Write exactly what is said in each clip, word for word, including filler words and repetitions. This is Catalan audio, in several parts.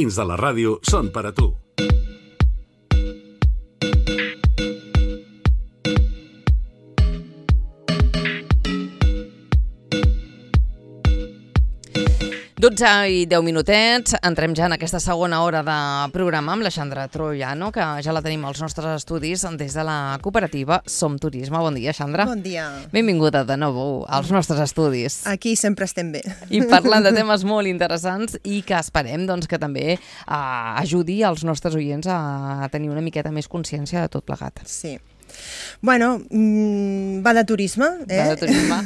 Dins de la ràdio són per a tu. dotze i deu minutets, entrem ja en aquesta segona hora de programa amb la Xandra Troiano, que ja la tenim als nostres estudis des de la cooperativa Som Turisme. Bon dia, Xandra. Bon dia. Benvinguda de nou als nostres estudis. Aquí sempre estem bé. I parlant de temes molt interessants i que esperem doncs, que també eh, ajudi als nostres oients a tenir una miqueta més consciència de tot plegat. Sí. Bueno, mmm, va de turisme. Eh? Va de turisme.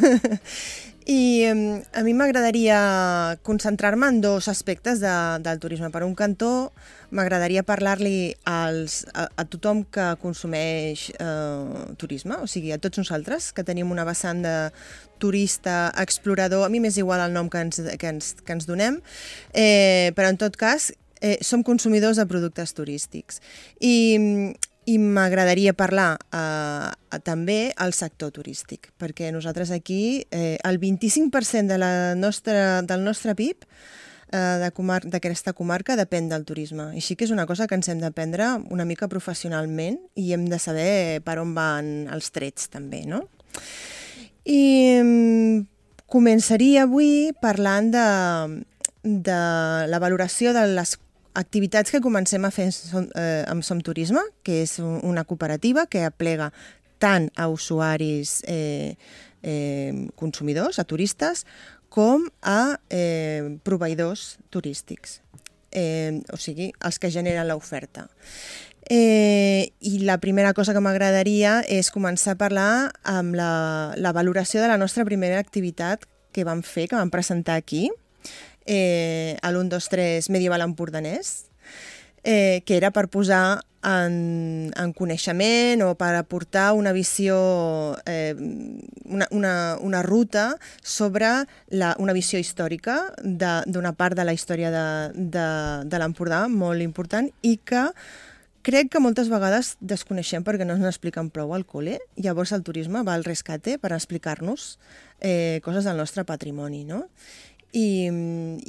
I um, a mi m'agradaria concentrar-me en dos aspectes de, del turisme. Per un cantó, m'agradaria parlar-li als, a, a tothom que consumeix eh, turisme, o sigui, a tots nosaltres, que tenim una vessant de turista, explorador, a mi m'és igual el nom que ens, que ens, que ens donem, eh, però en tot cas eh, som consumidors de productes turístics. I... I m'agradaria parlar eh, també al sector turístic, perquè nosaltres aquí eh, el vint-i-cinc per cent de la nostra, del nostre P I B eh, de comar d'aquesta comarca depèn del turisme. Així que és una cosa que ens hem d'aprendre una mica professionalment i hem de saber per on van els trets també, no? I mm, començaria avui parlant de, de la valoració de les activitats que comencem a fer eh, amb Som Turisme, que és una cooperativa que aplega tant a usuaris eh, eh, consumidors, a turistes, com a eh, proveïdors turístics, eh, o sigui, els que generen l'oferta. Eh, I la primera cosa que m'agradaria és començar a parlar amb la, la valoració de la nostra primera activitat que vam fer, que vam presentar aquí, Eh, a l'u dos tres Medieval Empordanès, eh, que era per posar en, en coneixement o per aportar una visió, eh, una, una, una ruta sobre la, una visió històrica d'una part de la història de, de, de l'Empordà molt important i que crec que moltes vegades desconeixem perquè no ens n'expliquen prou al col·le. Llavors el turisme va al rescate per explicar-nos eh, coses del nostre patrimoni, no? I,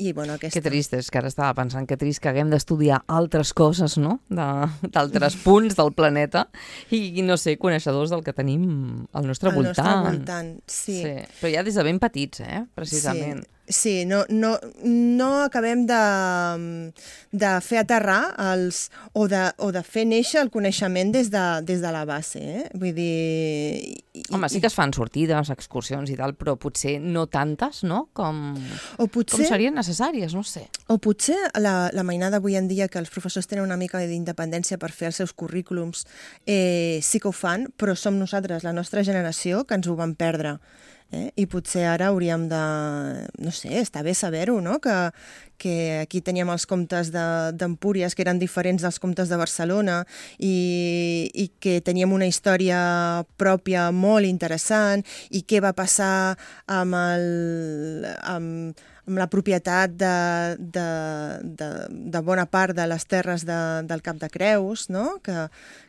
i bueno, aquesta... Que trist, és que ara estava pensant que trist que haguem d'estudiar altres coses, no?, d'altres punts del planeta i, i, no sé, coneixedors del que tenim al nostre al voltant. Al nostre voltant, sí. sí. Però ja des de ben petits, eh?, precisament. Sí. Sí, no, no, no acabem de, de fer aterrar els, o, de, o de fer néixer el coneixement des de, des de la base. Eh? Vull dir... I, Home, sí que es fan sortides, excursions i tal, però potser no tantes, no?, com, o potser, com serien necessàries, no sé. O potser la, la mainada avui en dia que els professors tenen una mica d'independència per fer els seus currículums, eh, sí que ho fan, però som nosaltres, la nostra generació, que ens ho vam perdre. Eh? I potser ara hauríem de, no sé, està bé saber-ho, no? Que, que aquí teníem els comtes d'Empúries que eren diferents dels comtes de Barcelona i, i que teníem una història pròpia molt interessant i què va passar amb, el, amb, amb la propietat de, de, de, de bona part de les terres de, del Cap de Creus, no? que,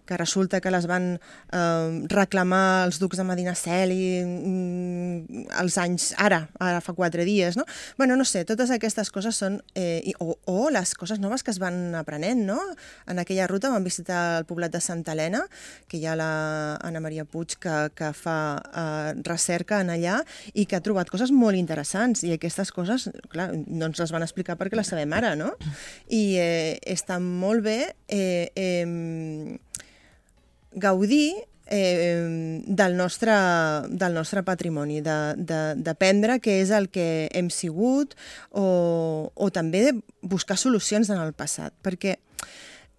que resulta que les van eh, reclamar els ducs de Medinaceli mm, els anys, ara, ara fa quatre dies, no? Bueno, no sé, totes aquestes coses són, eh, o, o les coses noves que es van aprenent, no? En aquella ruta vam visitar el poblat de Santa Helena, que hi ha la Anna Maria Puig que, que fa eh, recerca en allà i que ha trobat coses molt interessants i aquestes coses, clar, no ens les van explicar perquè les sabem ara, no? I eh, està molt bé eh, eh, gaudir eh, del, nostre, del nostre patrimoni, d'aprendre què és el que hem sigut o, o també buscar solucions en el passat, perquè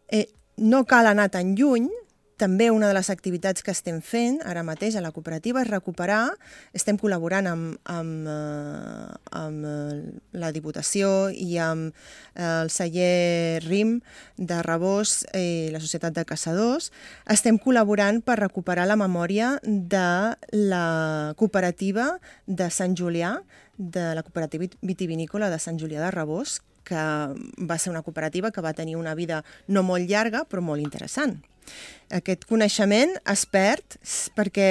eh, no cal anar tan lluny. També una de les activitats que estem fent ara mateix a la cooperativa és recuperar, estem col·laborant amb, amb, amb la Diputació i amb el celler R I M de Rabós i la Societat de Caçadors, estem col·laborant per recuperar la memòria de la cooperativa de Sant Julià, de la cooperativa vitivinícola de Sant Julià de Rabós, que va ser una cooperativa que va tenir una vida no molt llarga, però molt interessant. Aquest coneixement es perd perquè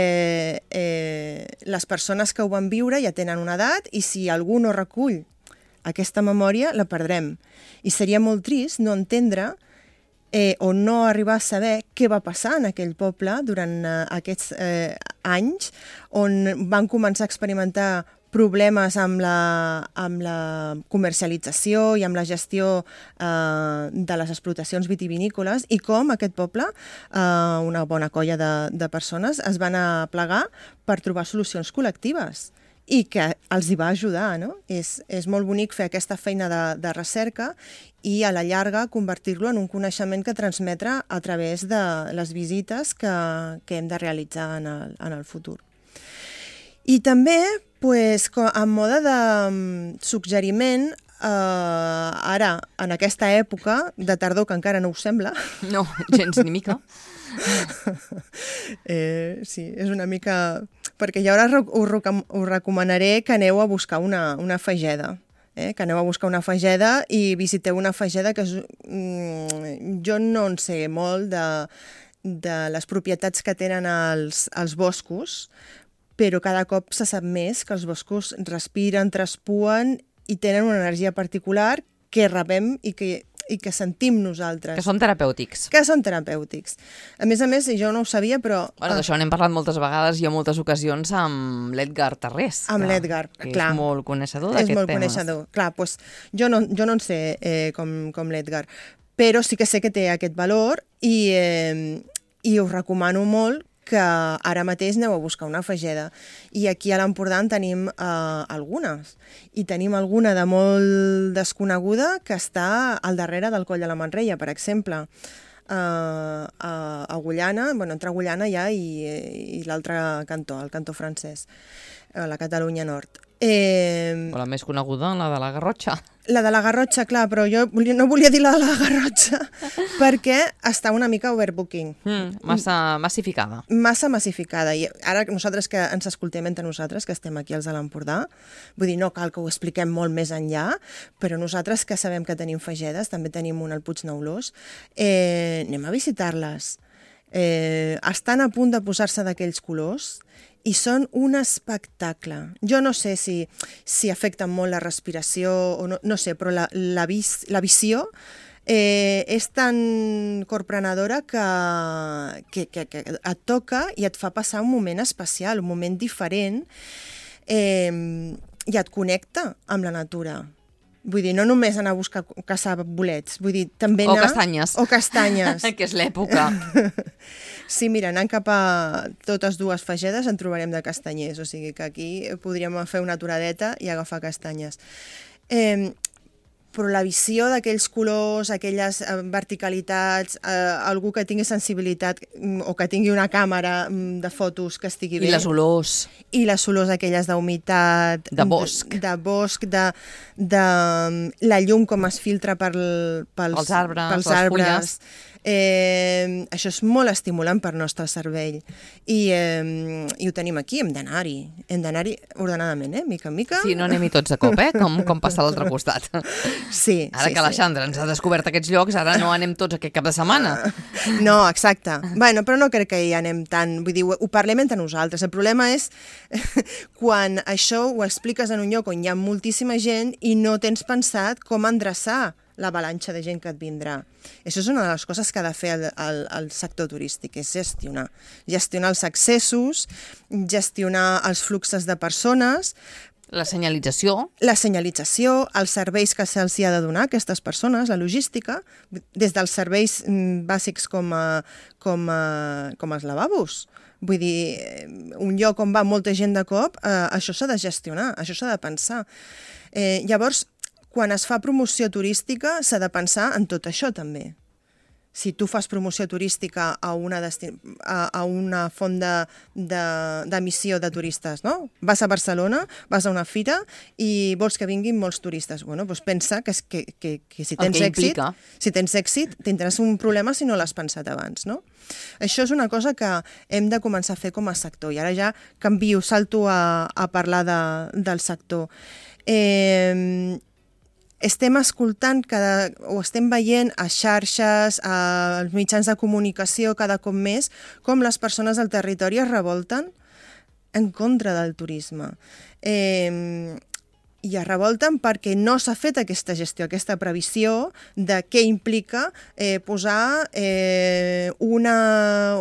eh, les persones que ho van viure ja tenen una edat i si algú no recull aquesta memòria la perdrem. I seria molt trist no entendre eh, o no arribar a saber què va passar en aquell poble durant eh, aquests eh, anys on van començar a experimentar problemes amb la, amb la comercialització i amb la gestió eh, de les explotacions vitivinícoles i com aquest poble, eh, una bona colla de, de persones, es van aplegar per trobar solucions col·lectives i que els hi va ajudar, no? És, és molt bonic fer aquesta feina de, de recerca i a la llarga convertir-lo en un coneixement que transmetre a través de les visites que, que hem de realitzar en el, en el futur. I també, pues, en mode de suggeriment, eh, ara, en aquesta època de tardor, que encara no us sembla... No, gens ni mica. eh, sí, és una mica... Perquè jo ara us, us recomanaré que aneu a buscar una, una fageda. Eh? Que aneu a buscar una fageda i visiteu una fageda que és, mm, jo no en sé molt de, de les propietats que tenen els, els boscos, però cada cop se sap més que els boscos respiren, traspuen i tenen una energia particular que rebem i que, i que sentim nosaltres. Que són terapèutics. Que són terapèutics. A més a més, jo no ho sabia, però... Bueno, d'això n'hem parlat moltes vegades i en moltes ocasions amb l'Edgar Tarrés. Amb l'Edgar, clar. Que és molt coneixedor d'aquest tema. És molt coneixedor. Clar, doncs jo no, jo no en sé eh, com, com l'Edgar, però sí que sé que té aquest valor i, eh, i us recomano molt que ara mateix aneu a buscar una fageda. I aquí a l'Empordà en tenim eh, algunes. I tenim alguna de molt desconeguda que està al darrere del Coll de la Manrella, per exemple. Uh, a Agullana, bueno, entre Agullana ja i, i l'altre cantó, el cantó francès, a la Catalunya Nord. Eh, o la més coneguda, la de la Garrotxa. La de la Garrotxa, clar, però jo volia, no volia dir la de la Garrotxa perquè està una mica overbooking. Mm, massa massificada. Massa massificada. I ara nosaltres que ens escoltem entre nosaltres, que estem aquí als de l'Empordà, vull dir, no cal que ho expliquem molt més enllà, però nosaltres que sabem que tenim fagedes, també tenim una al Puig Neulós, eh, anem a visitar-les. Eh, estan a punt de posar-se d'aquells colors i són un espectacle. Jo no sé si, si afecten molt la respiració, o no, no sé, però la, la, vis, la visió eh, és tan corprenedora que, que, que, que et toca i et fa passar un moment especial, un moment diferent, eh, i et connecta amb la natura. Vull dir, no només anar a buscar caçar bolets, vull dir, també anar... O castanyes. O castanyes. Que és l'època. Sí, mira, anant cap a totes dues fagedes en trobarem de castanyers, o sigui que aquí podríem fer una aturadeta i agafar castanyes. Eh, però la visió d'aquells colors, aquelles verticalitats, eh, algú que tingui sensibilitat o que tingui una càmera de fotos que estigui bé. I les olors. I les olors aquelles d'humitat. De bosc. De, de bosc, de, de la llum com es filtra per, pels, pels arbres, pels les arbres. fulles. Eh, això és molt estimulant per al nostre cervell i, eh, i ho tenim aquí, hem d'anar-hi hem d'anar-hi ordenadament, eh? Mica en mica. Sí, no anem-hi tots a cop, eh? Com, com passa a l'altre costat. Sí, ara sí, que l'Alexandra sí. ens ha descobert aquests llocs, ara no anem tots aquest cap de setmana. No, exacte. Bueno, però no crec que hi anem tant, vull dir, ho, ho parlem entre nosaltres. El problema és quan això ho expliques en un lloc on hi ha moltíssima gent i no tens pensat com endreçar l'avalanxa de gent que et vindrà. Això és una de les coses que ha de fer el, el, el sector turístic, és gestionar. Gestionar els accessos, gestionar els fluxos de persones, la senyalització. La senyalització, els serveis que se'ls ha de donar a aquestes persones, la logística, des dels serveis bàsics com, a, com, a, com els lavabos. Vull dir, un lloc on va molta gent de cop, eh, això s'ha de gestionar, això s'ha de pensar. Eh, llavors, quan es fa promoció turística, s'ha de pensar en tot això també. Si tu fas promoció turística a una, desti... a, a una font d'emissió de, de, de turistes, no? Vas a Barcelona, vas a una fira i vols que vinguin molts turistes. Bueno, doncs pensa que, que, que, que si tens èxit, si tens èxit, tindràs un problema si no l'has pensat abans, no? Això és una cosa que hem de començar a fer com a sector. I ara ja canvio, salto a, a parlar de, del sector. Eh... Estem escoltant cada, o estem veient a xarxes, als mitjans de comunicació cada cop més, com les persones del territori es revolten en contra del turisme. Eh, i es revolten perquè no s'ha fet aquesta gestió, aquesta previsió de què implica eh, posar eh, una,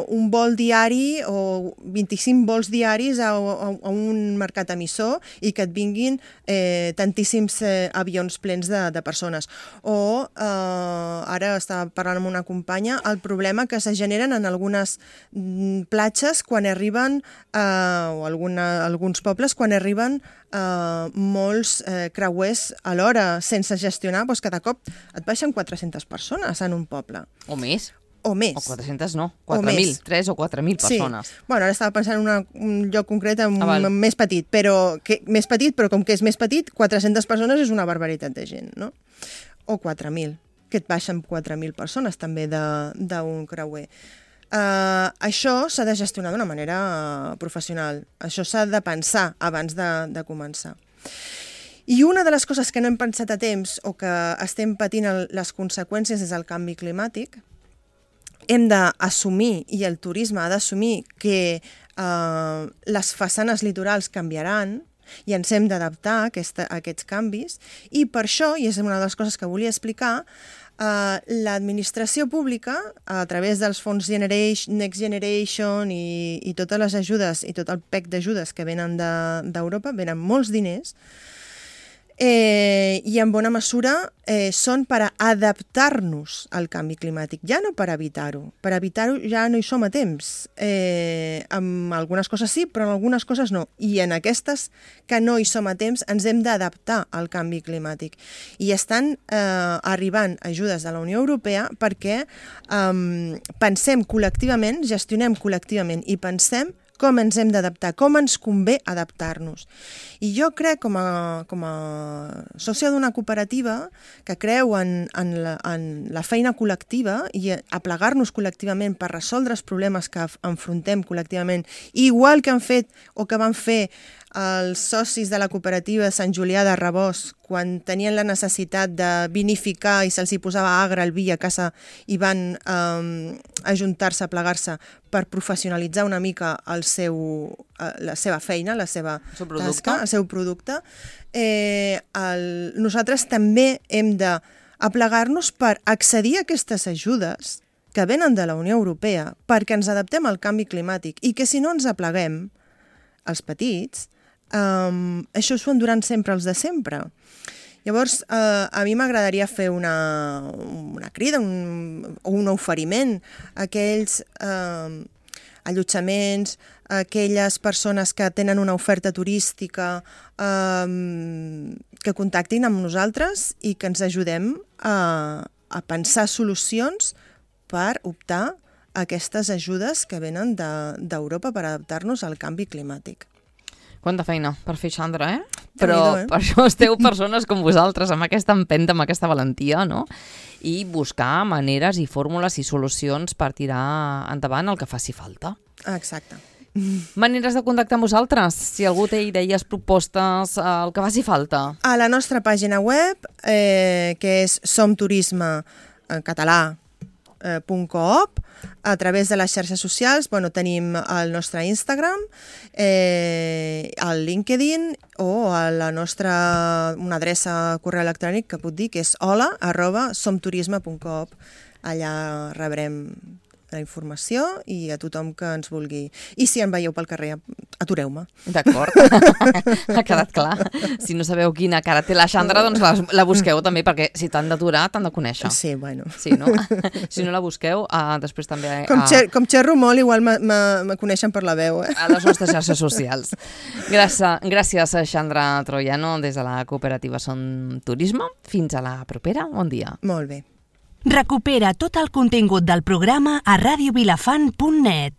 un vol diari o vint-i-cinc vols diaris a, a, a un mercat emissor i que et vinguin eh, tantíssims eh, avions plens de, de persones. O eh, ara estava parlant amb una companya el problema que se generen en algunes mm, platges quan arriben, eh, o alguna, alguns pobles, quan arriben Uh, molts uh, creuers alhora sense gestionar, doncs cada cop et baixen quatre-centes persones en un poble. O més. O més. O quatre-centes no, quatre mil, tres o quatre mil persones. Sí. Bueno, ara estava pensant en una, un lloc concret un, ah, més petit, però que, més petit, però com que és més petit, quatre-centes persones és una barbaritat de gent, no? O quatre mil, que et baixen quatre mil persones també d'un creuer. Uh, això s'ha de gestionar d'una manera uh, professional. Això s'ha de pensar abans de, de començar. I una de les coses que no hem pensat a temps o que estem patint el, les conseqüències és el canvi climàtic, hem d'assumir, i el turisme ha d'assumir, que uh, les façanes litorals canviaran i ens hem d'adaptar a, aquesta, a aquests canvis, i per això, i és una de les coses que volia explicar, Uh, l'administració pública, a través dels fons Generation, Next Generation i, i totes les ajudes i tot el pack d'ajudes que venen d'Europa, de, venen molts diners, eh, i en bona mesura eh, són per a adaptar-nos al canvi climàtic, ja no per evitar-ho. Per evitar-ho ja no hi som a temps. Eh, amb algunes coses sí, però en algunes coses no. I en aquestes que no hi som a temps ens hem d'adaptar al canvi climàtic. I estan eh, arribant ajudes de la Unió Europea perquè eh, pensem col·lectivament, gestionem col·lectivament i pensem com ens hem d'adaptar, com ens convé adaptar-nos. I jo crec, com a, com a sòcia d'una cooperativa que creu en, en, la, en la feina col·lectiva i a plegar-nos col·lectivament per resoldre els problemes que enfrontem col·lectivament, igual que han fet o que van fer els socis de la cooperativa Sant Julià de Rabós quan tenien la necessitat de vinificar i se'ls hi posava agre al vi a casa i van eh, ajuntar-se, a plegar-se per professionalitzar una mica el seu, la seva feina, la seva el tasca, el seu producte. Eh, el, nosaltres també hem d'aplegar-nos per accedir a aquestes ajudes que venen de la Unió Europea perquè ens adaptem al canvi climàtic i que si no ens apleguem, els petits, Um, això s'ho enduran sempre els de sempre. Llavors, uh, a mi m'agradaria fer una, una crida un, o un oferiment a aquells uh, allotjaments, a aquelles persones que tenen una oferta turística, um, que contactin amb nosaltres i que ens ajudem a, a pensar solucions per optar a aquestes ajudes que venen d'Europa de, per adaptar-nos al canvi climàtic. Quanta feina per fer, Xandra, eh? Però eh? per això esteu persones com vosaltres, amb aquesta empenta, amb aquesta valentia, no? I buscar maneres i fórmules i solucions per tirar endavant el que faci falta. Exacte. Maneres de contactar amb vosaltres, si algú té idees, propostes, el que faci falta. A la nostra pàgina web, eh, que és somturisme en català, .coop, a través de les xarxes socials, bueno, tenim el nostre Instagram, eh, el LinkedIn o a la nostra, una adreça correu electrònic que puc dir, que és hola arroba somturisme punt coop. Allà rebrem la informació i a tothom que ens vulgui. I si em veieu pel carrer, atureu-me. D'acord, ha quedat clar. Si no sabeu quina cara té la Xandra, doncs la, la busqueu també, perquè si t'han d'aturar, t'han de conèixer. Sí, bueno. Sí, no? Si no la busqueu, uh, després també... Uh, com, xer, com xerro molt, igual me coneixen per la veu, eh? A les nostres xarxes socials. Gràcies, gràcies, Xandra Troiano, des de la cooperativa Som Turisme. Fins a la propera. Bon dia. Molt bé. Recupera tot el contingut del programa a radio vilafant punt net.